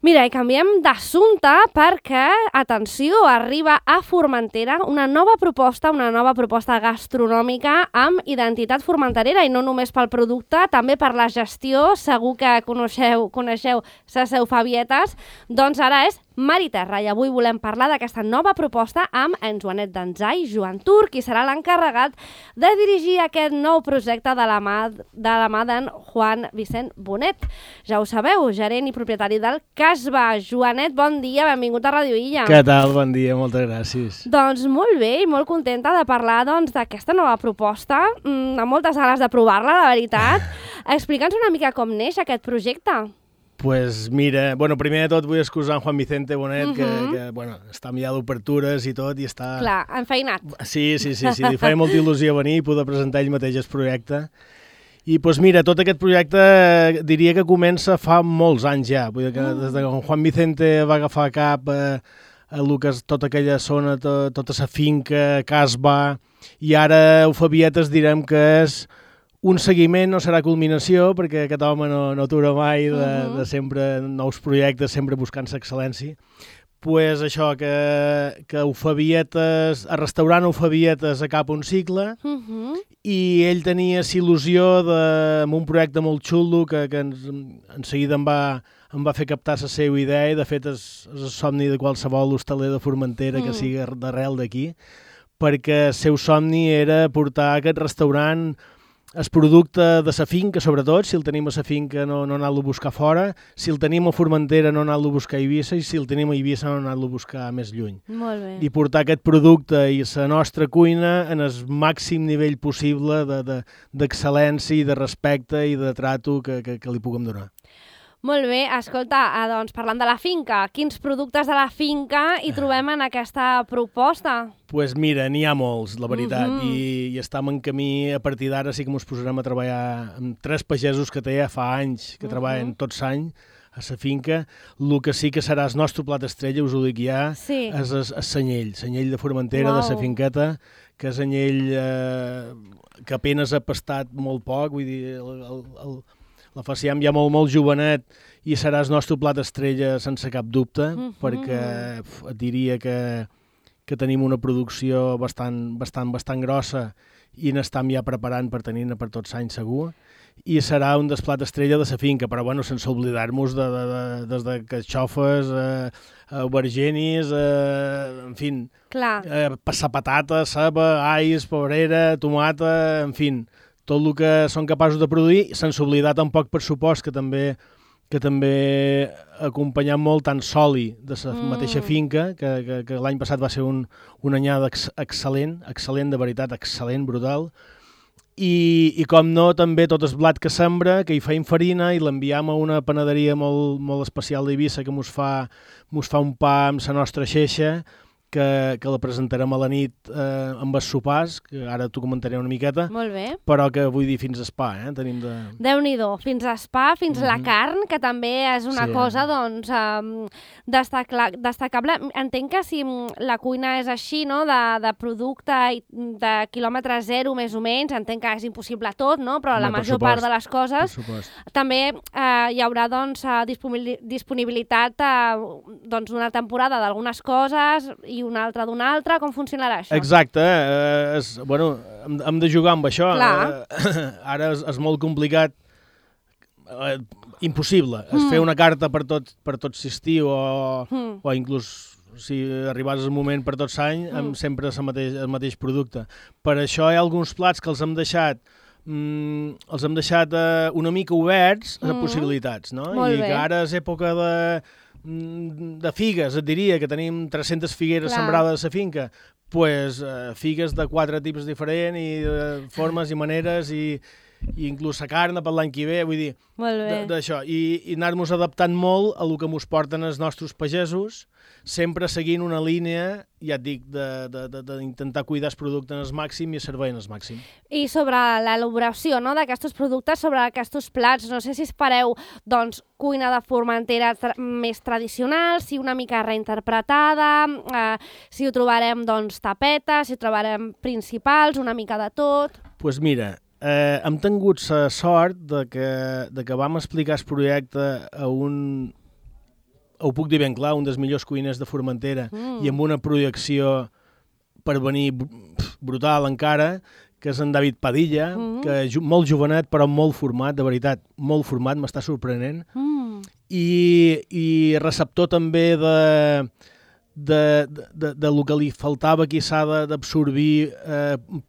Mira, i canviem d'assumpte perquè, atenció, arriba a Formentera una nova proposta gastronòmica amb identitat formenterera i no només pel producte, també per la gestió. Segur que coneixeu Sa Seu Fabietes, doncs ara és Mar i Terra, i avui volem parlar d'aquesta nova proposta amb en Joanet Danzai, Joan Tur, qui serà l'encarregat de dirigir aquest nou projecte de la mà d'en Juan Vicent Bonet. Ja ho sabeu, gerent i propietari del Casba. Joanet, bon dia, benvingut a Radio Illa. Què tal? Bon dia, moltes gràcies. Doncs molt bé i molt contenta de parlar d'aquesta nova proposta, amb moltes ganes de provar-la, la veritat. Explica'ns una mica com neix aquest projecte. Pues mira, primer de tot vull excusar en Juan Vicente Bonet, que està ja d'obertures i tot, i està... Clar, enfeinat. Sí, li feia molta il·lusió venir i poder presentar ell mateix el projecte. I doncs mira, tot aquest projecte diria que comença fa molts anys ja, vull dir que des que Juan Vicente va agafar cap a el que és tota aquella zona, tota la finca, Casba, i ara Eufabietes direm que és un seguiment, no serà culminació, perquè aquest home no atura mai de sempre nous projectes, sempre buscant l'excel·lència. Pues això, que Eufabietes, el restaurant Eufabietes acaba un cicle, i ell tenia il·lusió amb un projecte molt xulo que en seguida em va fer captar la seva idea, i de fet és el somni de qualsevol hostaler de Formentera que sigui d'arrel d'aquí, perquè el seu somni era portar aquest restaurant el producte de la finca, sobretot, si el tenim a la finca no anar-lo a buscar fora, si el tenim a Formentera no anar-lo a buscar a Eivissa, i si el tenim a Eivissa no anar-lo a buscar més lluny. Molt bé. I portar aquest producte i la nostra cuina en el màxim nivell possible d'excel·lència i de respecte i de trato que li puguem donar. Molt bé, escolta, doncs parlant de la finca, quins productes de la finca hi trobem en aquesta proposta? Doncs mira, n'hi ha molts, la veritat, i estem en camí. A partir d'ara sí que ens posarem a treballar amb 3 pagesos que té ja fa anys, que treballen tots l'any a la finca. El que sí que serà el nostre plat estrella, us ho dic ja, és el senyell de Formentera, de la finqueta, que és anyell que apenas ha pastat molt poc, vull dir, la faciem ja molt jovenet, i serà el nostre plat estrella sense cap dubte, perquè et diria que tenim una producció bastant grossa i n'estem ja preparant per tenir-ne per tots anys segur, i serà un dels plats estrella de la finca, però sense oblidar-nos des de carxofes, aubergenis, en fi, passar patata, ceba, alls, pebrera, tomata, en fi, tot el que són capaços de produir, sense oblidar tampoc, per supost, que també acompanyant molt tant soli de la mateixa finca, que l'any passat va ser una anyada excel·lent, de veritat, excel·lent, brutal, i com no, també tot el blat que sembra, que hi feim farina i l'enviem a una panaderia molt especial d'Eivissa que mos fa un pa amb la nostra xeixa, que la presentarem a la nit amb els sopars, que ara t'ho comentaré una miqueta. Molt bé. Però que vull dir fins a spa, tenim de... Déu-n'hi-do, fins a spa, fins a la carn, que també és una cosa, doncs, destacable. Entenc que si la cuina és així, no?, de producte de quilòmetre zero, més o menys, entenc que és impossible tot, no?, però la major part de les coses també hi haurà, doncs, disponibilitat d'una temporada d'algunes coses i una altra d'una altra. Com funcionarà això? Exacte, hem de jugar amb això. Ara és molt complicat, impossible, fer una carta per tot l'estiu o inclús si arribàs al moment per tot l'any amb sempre el mateix producte. Per això hi ha alguns plats que els hem deixat una mica oberts a possibilitats, no? I que ara és època de figues, et diria, que tenim 300 figueres sembrades a la finca, doncs figues de 4 tipus diferents i de formes i maneres i inclús la carn per l'any que ve, vull dir, d'això, i anar-nos adaptant molt a el que ens porten els nostres pagesos, sempre seguint una línia, ja et dic, d'intentar cuidar el producte en el màxim i el servei en el màxim. I sobre l'elaboració, no?, d'aquests productes, sobre aquests plats, no sé si espereu, doncs, cuina de Formentera més tradicional, si una mica reinterpretada, si ho trobarem, doncs, tapetes, si ho trobarem principals, una mica de tot... Doncs mira, hem tingut la sort de que vam explicar el projecte a ho puc dir ben clar, un dels millors cuiners de Formentera i amb una projecció per venir brutal encara, que és en David Padilla, que molt jovenet però molt format, de veritat, molt format, m'està sorprenent. I receptor també de lo que li faltava, qui s'ha d'absorbir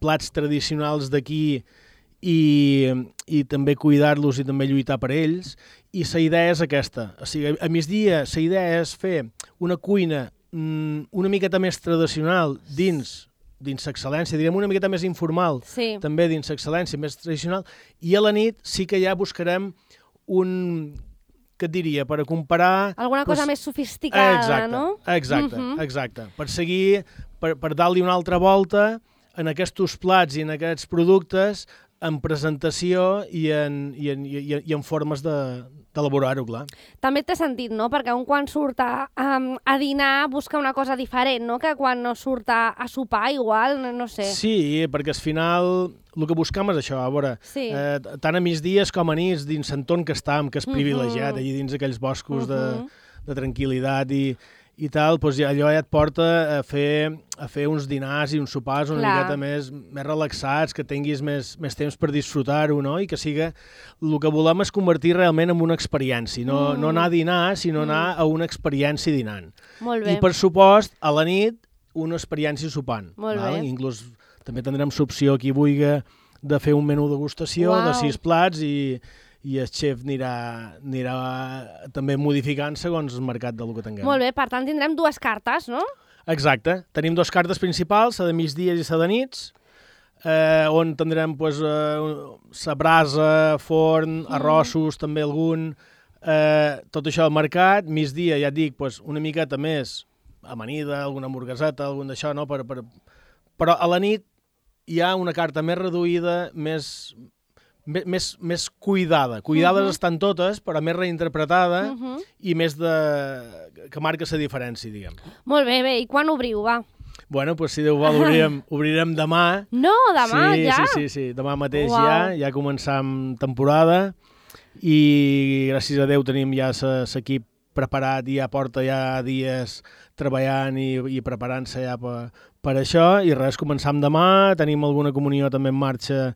plats tradicionals d'aquí i també cuidar-los i també lluitar per ells. I la idea és aquesta. O sigui, a migdia la idea és fer una cuina una miqueta més tradicional dins l'excel·lència, direm una miqueta més informal, també dins l'excel·lència, més tradicional, i a la nit sí que ja buscarem què et diria, per a comparar... Alguna cosa més sofisticada, no? Exacte. Per seguir, per dar-li una altra volta en aquests plats i en aquests productes, en presentació i en formes d'elaborar-ho, clar. També té sentit, no? Perquè quan surt a dinar busca una cosa diferent, no? Que quan no surt a sopar, igual, no sé. Sí, perquè al final el que buscam és això, a veure, tant a migdies com a nits, dins l'entorn que estem, que és privilegiat, allà dins aquells boscos de tranquil·litat i tal, doncs allò ja et porta a fer uns dinars i uns sopars una miqueta més relaxats, que tinguis més temps per disfrutar-ho, no? I que siga... El que volem és convertir realment en una experiència, no anar a dinar, sinó anar a una experiència dinant. Molt bé. I, per supost, a la nit, una experiència sopant. Molt bé. Inclús també tindrem l'opció, qui vulgui, de fer un menú degustació de 6 plats i el xef anirà també modificant segons el mercat del que tinguem. Molt bé, per tant tindrem 2 cartes, no? Exacte. Tenim 2 cartes principals, la de migdies i la de nits, on tindrem la brasa, forn, arrossos, també algun, tot això al mercat. Migdia, ja et dic, una miqueta més amanida, alguna hamburgueseta, algun d'això, no? Però a la nit hi ha una carta més reduïda, més cuidada. Cuidades estan totes, però més reinterpretada i més que marca la diferència, diguem. Molt bé, i quan obriu, va? Bueno, doncs si Déu vol, obrirem demà. No, demà ja? Sí, demà mateix ja començam temporada i gràcies a Déu tenim ja l'equip preparat i ja porta ja dies treballant i preparant-se ja per això i res, començam demà, tenim alguna comunió també en marxa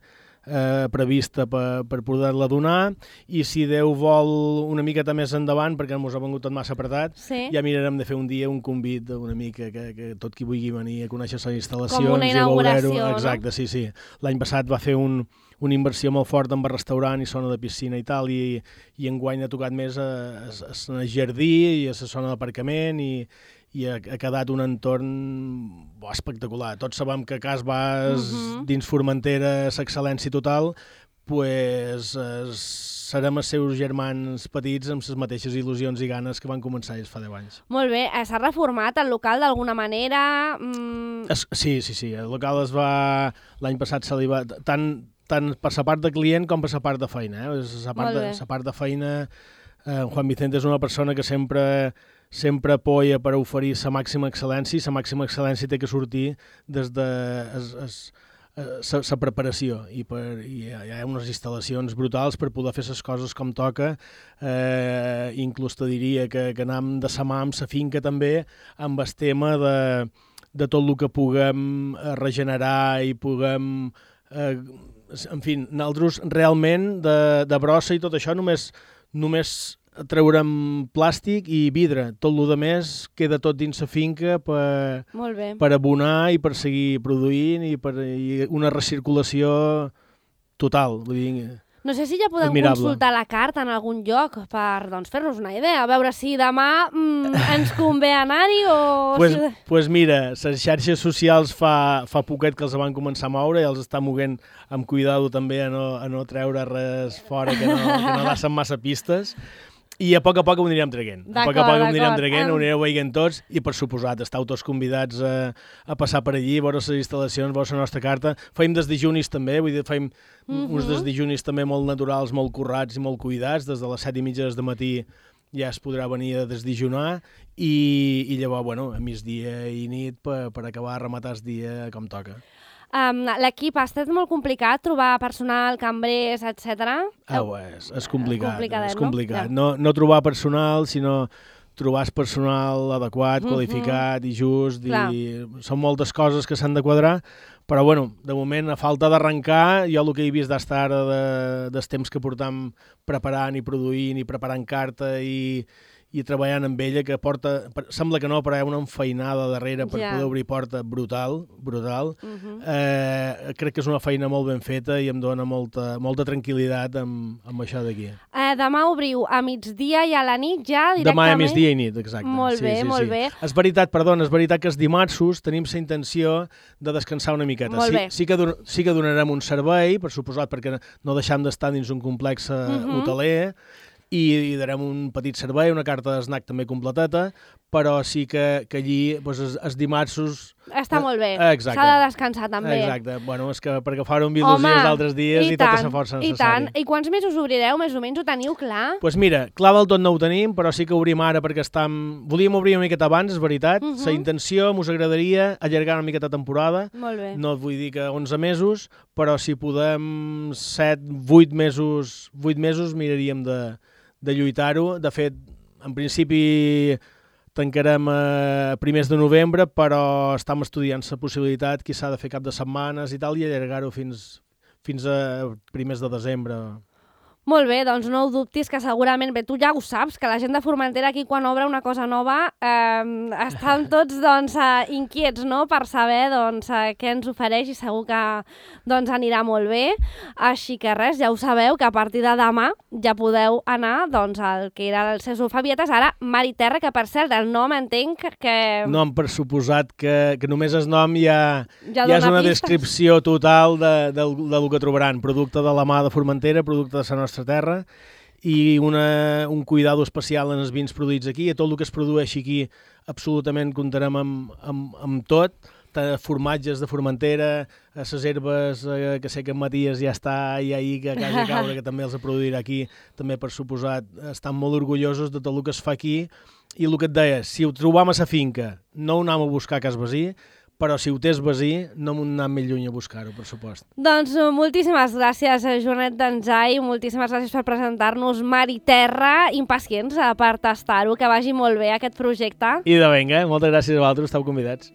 prevista per poder-la donar i si Déu vol una miqueta més endavant, perquè ens ha vengut tot massa apretat, ja mirarem de fer un dia un convit una mica que tot qui vulgui venir a conèixer les instal·lacions. Com una inauguració, no? Exacte, sí. L'any passat va fer una inversió molt forta en restaurant i zona de piscina i tal, i enguany ha tocat més a jardí i a la zona d'aparcament i ha quedat un entorn espectacular. Tots sabem que Cas Bas, dins Formentera, l'excel·lència total, serem els seus germans petits amb les mateixes il·lusions i ganes que van començar ells fa 10 anys. Molt bé. S'ha reformat el local d'alguna manera? Sí. El local l'any passat se li va... Tant per la part de client com per la part de feina. La part de feina, Juan Vicente és una persona que sempre apoya per oferir la màxima excel·lència i la màxima excel·lència té que sortir des de la preparació i hi ha unes instal·lacions brutals per poder fer les coses com toca. Inclús te diria que anem de sa mà amb la finca també amb el tema de tot el que puguem regenerar i puguem... En fi, nosaltres realment de brossa i tot això només treurem plàstic i vidre. Tot el més queda tot dins la finca per abonar i per seguir produint i per una recirculació total. Vull dir, no sé si ja podem consultar la carta en algun lloc per fer-nos una idea, a veure si demà ens convé anar-hi o... Pues mira, les xarxes socials fa poquet que els van començar a moure i els està moguent amb cuidado també a no treure res fora que no deixen massa pistes. I a poc ho anirem traient. Ho anireu veient tots i, per suposat, estàu tots convidats a passar per allí, veure les instal·lacions, veure la nostra carta. Feim des dijunis també, vull dir, feim uns des dijunis també molt naturals, molt currats i molt cuidats. Des de les 7:30 del matí ja es podrà venir a desdijunar i llavors, a migdia i nit per acabar de rematar el dia com toca. L'equip ha estat molt complicat trobar personal, cambrers, etc. És complicat. No trobar personal, sinó trobar el personal adequat, qualificat i just, i són moltes coses que s'han de quadrar, però bueno, de moment, a falta d'arrencar, jo el que he vist d'estar ara dels temps que portam preparant i produint i preparant carta i treballant amb ella, que porta, sembla que no, però hi ha una enfeinada darrere per poder obrir porta brutal. Crec que és una feina molt ben feta i em dona molta tranquil·litat amb això d'aquí. Demà obriu a migdia i a la nit ja directament? Demà a migdia i nit, exacte. Molt bé, molt bé. És veritat que els dimarts tenim la intenció de descansar una miqueta. Sí que donarem un servei, per suposat, perquè no deixem d'estar dins un complex hoteler, i darem un petit servei, una carta d'esnac també completeta, però sí que allí els dimarts... Està molt bé, s'ha de descansar també. Exacte, bueno, és que perquè fara un il·lusió els altres dies i tota la força necessària. I quants mesos obrireu? Més o menys ho teniu clar? Doncs mira, clar del tot no ho tenim, però sí que obrim ara perquè volíem obrir una miqueta abans, és veritat. La intenció mos agradaria allargar una miqueta temporada. Molt bé. No et vull dir que 11 mesos, però si podem 8 mesos miraríem de lluitar-ho. De fet, en principi tancarem a primers de novembre, però estem estudiant la possibilitat que s'ha de fer cap de setmanes i tal, i allargar-ho fins a primers de desembre. Molt bé, doncs no ho dubtis, que segurament, bé, tu ja ho saps, que la gent de Formentera aquí quan obre una cosa nova estan tots inquiets, no?, per saber què ens ofereix, i segur que anirà molt bé. Així que res, ja ho sabeu, que a partir de demà ja podeu anar al que era el César Fabietes, ara Mar i Terra, que per cert, el nom entenc que... Nom per suposat, que només el nom ja és una descripció total del que trobaran. Producte de la mà de Formentera, producte de la nostra terra, i un cuidado especial en els vins produïts aquí. A tot el que es produeixi aquí absolutament comptarem amb tot, formatges de Formentera, a les herbes, que sé que en Matías ja està i ahir que a casa caure, que també els produirà aquí, també per suposat estan molt orgullosos de tot el que es fa aquí. I el que et deia, si ho trobam a la finca, no ho anem a buscar a cas vecí, però si ho tens vecí, no m'ho anem més lluny a buscar-ho, per supost. Doncs moltíssimes gràcies, Joanet Danzai, moltíssimes gràcies per presentar-nos Mar i Terra, impacients per tastar-ho, que vagi molt bé aquest projecte. I de vinga, moltes gràcies a vosaltres, esteu convidats.